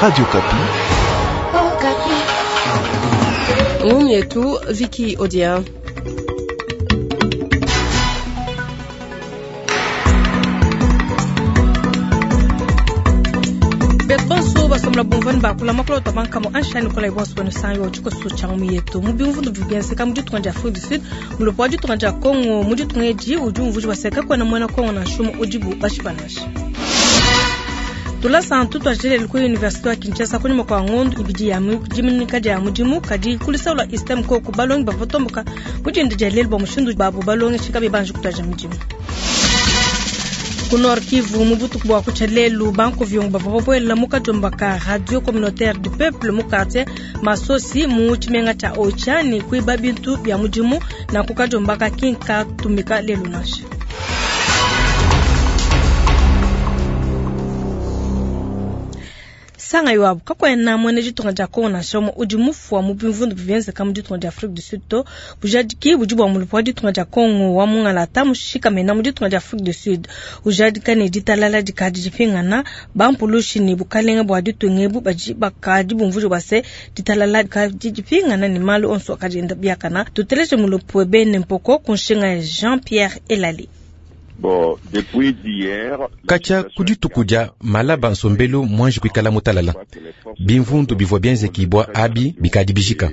Radio Okapi. Ngumu yetu Viki Odia. Bonso basomla bumvani bakula makolo tabanka mo anshani kola ibonso bano sanyo chiko su changu yetu mu bimvundu bibyenseka mu ditunga dia Afrique du Sud mu lopo wa ditunga dia Congo mu ditunga edi udi umvuji baseka kwena mwana Congo na shumu udibu bashibanasha tulasa ntu twajelele ku universite wa Kinshasa kunyuma kwa ngondo ibidi ya diminika dia mudimu kadi kulisaula istem koku balongi bavatomboka mudinda dia lelu bwa mushindu babu balongeshi kabi banji kutwaja mudimu. Ku Nord Kivu mu butuku bwa kutshia lelu banku viongo bavua babuela mu kadiomba ka Radio Communautaire du Peuple mu quartier Masosi mu tshimenga tshia Oicha ne kuiba bintu bia mudimu na ku kadiomba ka kinka tumika lelu nansha. Sanga iwabu kakwena mwene ditunga dia Kongo nansha umue udi mufua mu bimvundu bivyenzeka mu ditunga dia Afrique du Sud to bujadiki budi bua mulupu wa ditunga dia Kongo wa mungalata mushikamena mu ditunga dia Afrique du Sud ujadika ne ditalala dikadi dipingana bampulushi ne bukalenga bua ditunga ebu badi bakadi bumvuja bua se ditalala dikadi dipingana ne malu onso akadi enda biakana. Tuteleje mulupu webe Mpoko ku nshinga ya Jean-Pierre Elali. Bon, depuis d'hier, Katshia ku dituku dia malaba nsombelu mwanji kuikala mutalala. Bimvundu bivua bienzekibua abi bikadi bijika.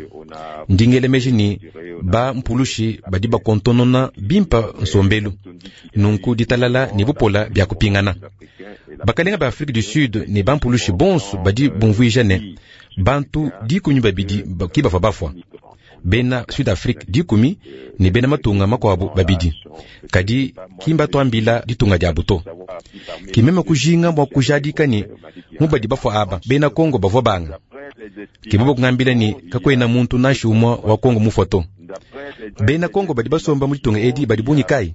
Ndingele meji ni ba mpulushi badi bakontonona bimpa nsombelu. Nunku ditalala ne bupola bia kupingana. Bakalenga ba Afrique du Sud ne ba mpulushi bonso badi bumvuija ne bantu 12 ki bavua bafua. Bena Sud Afrique 10 ne bena matunga makuabu babidi. Kadi kimba twambila ditunga dia buto. Kimema kujinga bua kujadika ni mubadi bafua aba bena Kongo bavua banga. Kibobo kungambila ni kakwena muntu nashi umwa wa Kongo mufoto. Bena Kongo badi basomba mu ditunga edi badi bungi kai.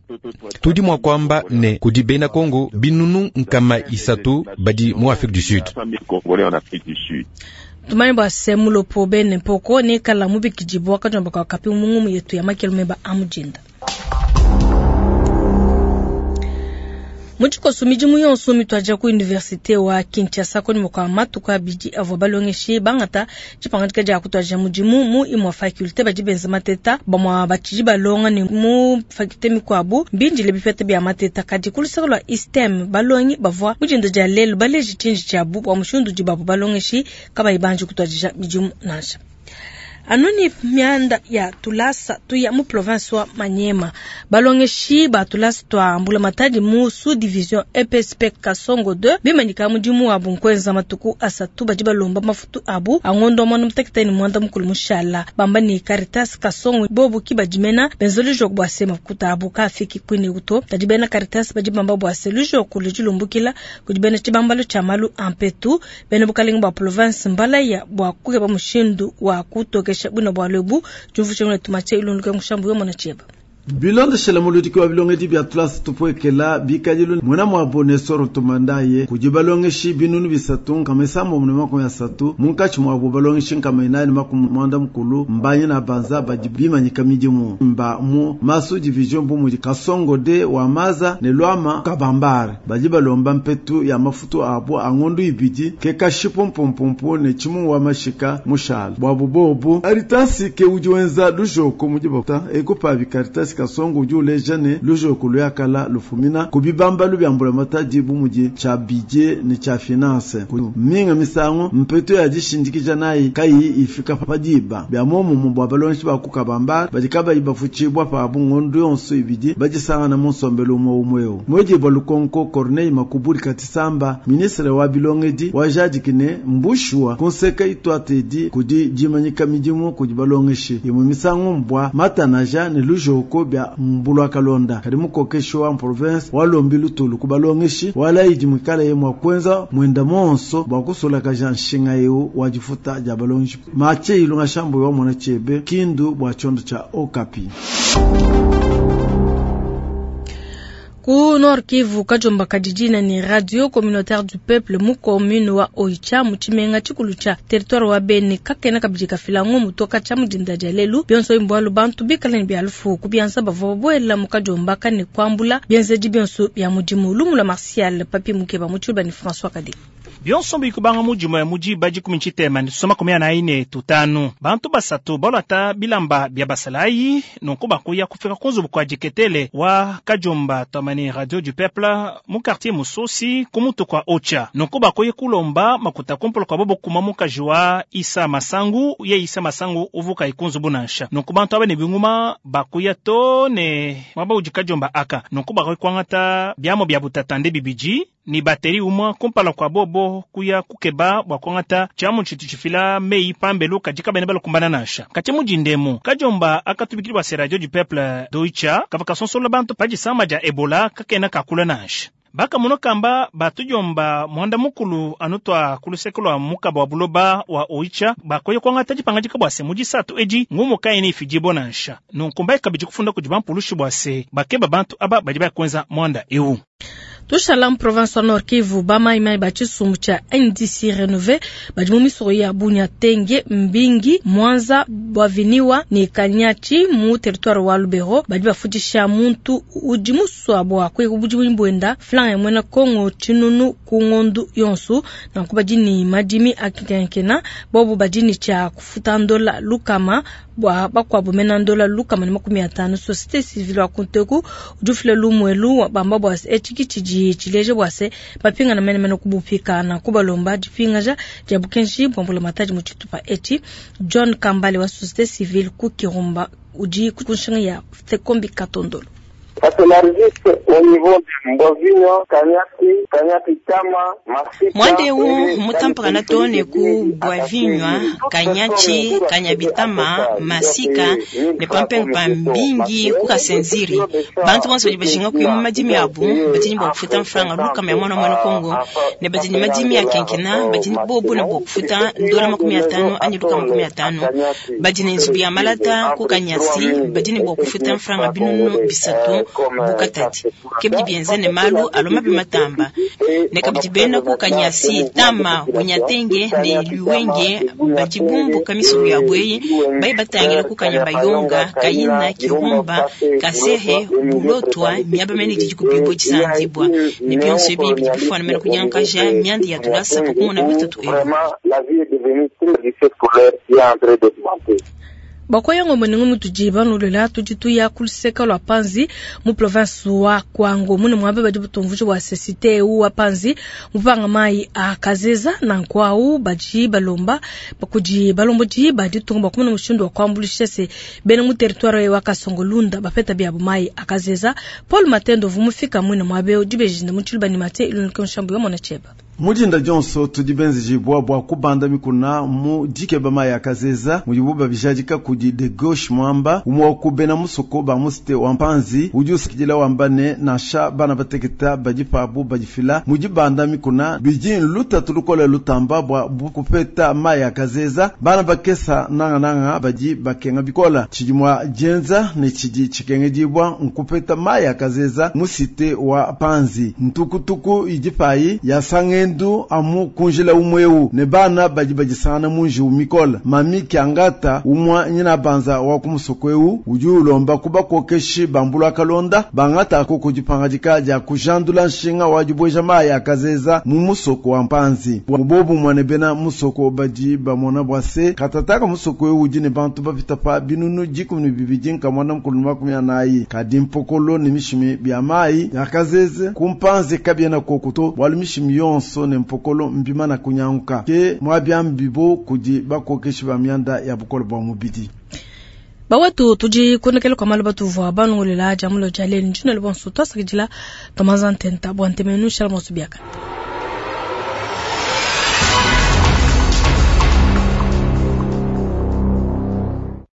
Tudi mwa kwamba ne kudi bena Kongo binunu nkama isatu badi mu Afrique du Sud. Tumani bua se mulopo bene mpoko ne kala mubikidibua kadiomba ka kapi mungumu yetu ya makelu meba amujinda. Mutshikoso midimu yonso mitwaja ku universite wa Kinshasa koni kwa matuku abidi avua balongeshi bangata tshipangadika dia kutwaja mudimu mu imua faculté badi benza mateta bamua batshidi balonga ne mu faculté mikuabu mbindile bipeta bia mateta kadi ku luseke lua ISTEM balongi bavua mudinda dia lelu baleji tshinji tshiabu bua mushindu udi babu balongeshi kabayi banji kutwadija midimu nansha. Anuni mianda ya tulasa tuya mu province wa Manyema balongeshi ba tulasa twa mbula matadi mu sous division EPSP Kasongo 2 bimanyika mudimu wa bunkwenza matuku asatu badi balomba mafutu abu angondo mwana mutekete ni mwanda mukulu mushala bamba ni Caritas Kasongo bobu kibadimena benzoli jok bwa sema kuta abu kafiki kwini uto tadi bena Caritas badi bamba bwa selu jok lujilumbukila kudibena chibambalo cha malu ampetu bena bukalenga bwa province mbala ya bwa kukeba mushindu wa kutokesha buna bwa lebu jumvu tumache ilunduke mushambu yo mona cheba. Bilondeshela muludiki wa bilongedi bya tulasa tupwekela bikadilu mwena mwabo Nestor Tumandaye kudi balongeshi binunu bisatu nkama isambo mune 30 munkatshi mwabo balongeshi nkama inani 90 mbanyi na banza badi bimanyika midimu mba mu masu division bu mudi Kasongo de wa maza ne lwama kabambare badi balomba mpetu ya mafutu abo angondu ibidi ke kashipo mpumpumpu ne chimu wa mashika mushala bwabu bobu Caritas ke udi wenza lujoko mudi bota ekupa bi Caritas Kasongo udi uleja ne lujoko luyakala lufumina kubibamba lubyambula matadi bu mudi cha budget ne cha finance minga misango mpeto ya dishindikija nayi kayi ifika padiba bya momu bwa balonshi ba kukabamba badi kabayi bafuchibwa pa bungondo yonso ibidi badisangana mu nsombelo umwe umweo mweji bwa lukonko Corneille Makuburi Katisamba ministre wa bilongedi wa jadikine mbushwa konseka itwatedi kudi jimanyika midimu kudi balongeshi imwe misango mbwa matanaja ne lujoko bya mbulwa kalonda kadi mukokesho wa province walombi lutulu kubalongeshi wala idi mwikala ye mwa kwenza mwenda monso bwa kusola kaja nshinga yeu wajifuta ja balongeshi mache ilunga shambo wa mwana chebe kindu bwa chondo cha Okapi. Ku Nord Kivu kajomba kadidina ni Radio Communautaire du Peuple mu commune wa Oicha mu tshimenga tshikulu tshia territoire wa Beni kakena kabidi kafila ngumu toka tshia mudinda dia lelu bionso imbwalu bantu bikala ne bia lufu kubianza bavua babuela mu kajomba kane kuambula bienzedi bionso bia mudimu lumula Martial Papi Mukeba mu tshiluba ni François Kade. Bionso bikubanga mu dimue mu diba dikumi tshitema ne tuso 45 bantu basatu balwata bilamba bia basalayi nunku bakuya kufika ku nzubu kwa diketele wa Kadiomba twamani Radio du Peuple mu quartier Musosi ku mutu kwa Ocha nunku bakuya kulomba makuta kumpala kwa bobo kuma mukaji wa Isa Masangu ye Isa Masangu uvuka ikunzubu nansha nunku bantu aba ne binguma bakuya to ne mwaba udi Kadiomba aka nunku bakuya kuangata biamo bia butatande bibidi ni bateri umwa kumpala kwa bobo kuya kukeba bua kuangata tshiamu tshitu tshifila mei pambelu kadi kabene balukumbana nansha kati mudindemu Kadiomba akatubikili bua se Radio du Peuple d'Oicha kava kasonsola bantu padisama dia Ebola kakena kakula nansha bakamono kamba batudiomba mwanda mukulu anu twa kuluseke lwa mukaba wa buloba wa Oicha bakoye kuangata dipangadika bua se mudisatu edi ngumu kayi ifidibo nansha nunku mbai kabidi kufunda kudi bampulushi bua se bakeba bantu aba badi bakuenza mwanda ewu. Tushala mu province wa Nord Kivu bamaimai ba tshisumbu tshia NDC Renouvé badi mu misoko ya Bunia, Tenge, Mbingi, Mwanza, Bwaviniwa ne Kanyachi mu territoire wa Lubero badi bafundisha muntu udi musua bua kuya budimu bwenda franga ya mwena Kongo tshinunu ku ngondu yonsu nanku badi ni madimi akenkenkena bobu badi ni tshia kufuta ndola lukama bua bakuabu mena ndola lukama ne 50. Société civile wa kunteku udi ufila lumuelu bamba bua etshiki tshidi tshileja bua se bapingana menemene kubupika kubalomba dipingaja dia bukenji bua mbulamatadi mu tshitupa etshi. John Kambale wa société civile ku Kirumba udi ku nshinga ya Sekombi Katondolo. Ça s'élargisse au niveau de Mbovino, Kanyati, Kanyati Tama, Masika. Mwandeu mutampakana to ne ku Bwavinywa, Kanyachi, Kanyabitama, Masika ne pampengu pa Mbingi ku Kasenziri. Bantu bonso badi bajinga kuya mu madimi abu badi ne bua kufuta mfranga lukama ya mwana mwana Kongo ne badi ne madimi ya kenkena badi ne bobu ne bua kufuta ndola 50 anyi lukama 50. Badi ne nzubu ya malata ku Kanyasi badi ne bua kufuta mfranga 300 bukatati kebidi bienze ne malu aloma bimatamba ne kabidi bena ku Kanyasi Tama Bunyatenge ne Luwenge badi bumbuka misoko ya bweyi bayi batangila ku Kanyabayonga Kayina Kirumba Kasehe Bulotwa miaba mene didi kubibwa disandibwa ne bionso ebi bidi bifwana mene kunyankaja miandi ya tulasa pakumona bitatu ebi. La vie est devenue très difficile scolaire qui est en train d'augmenter. Bakoyango mweningo mutudi banulela tudi tuya kuluseka lwa Panzi mu province wa Kwango mune mwabe badi butumvuji bua cité wa Panzi mupanga mai a Kazeza na nkwau badi balomba bakudi balombodi badi tunga bakumuna mushindu wa kuambulisha se bena mu territoire wa Kasongolunda bapeta biabu mai a Kazeza. Paul Matendo vumufika mwine mwabe udibejinda mu tshiluba ni mate ilunike nshambu ya mwana cheba. Mujinda Johnson tudi benzejibwa bua kubanda mikuna mu dikeba mai ya Kazeza mudibu babijadika kudi de gauche mwamba umwe wa kubena musoko ba musite wa Mpanzi udi usikidila wamba ne nansha bana bateketa badi pabu badifila mudibanda mikuna bidi lutatu lukola lutamba bua kupeta mai ya Kazeza bana bakesa nanga nanga badi bakenga bikola tshidi mwa dienza ne tshidi tshikengedibwa nkupeta mai ya Kazeza musite wa Panzi ntukutuku idi payi ya sangendu amu kunjila umweu ne bana badi badisangana munji umikola mami kiangata umwa nyina banza wa kumusoko eu udi ulomba kubakokeshi bambula kalonda bangata ko kudipangadika dia kujandula nshinga wa dibweja mai ya Kazeza mu musoko wa Mpanzi mubobu mwane bena musoko badi bamona bwase katataka musoko eu udi ne bantu bapita pa binunu 12 nkamwana mukulu 40 kadi mpokolo ne mishimi bya mai ya Kazeze kumpanzi kabiena kokuto bwalu mishimi yonso ne mpokolo mbima na kunyanguka ke mwabyambibo kudi bakokeshi ba myanda ya bukolo bwa mubidi. Bawetu tudi konekele kwa malu batuvua banungulela jamulo jaleni njino le bonso twasakidila tomaza ntenta bwa ntemenu shala monso biaka.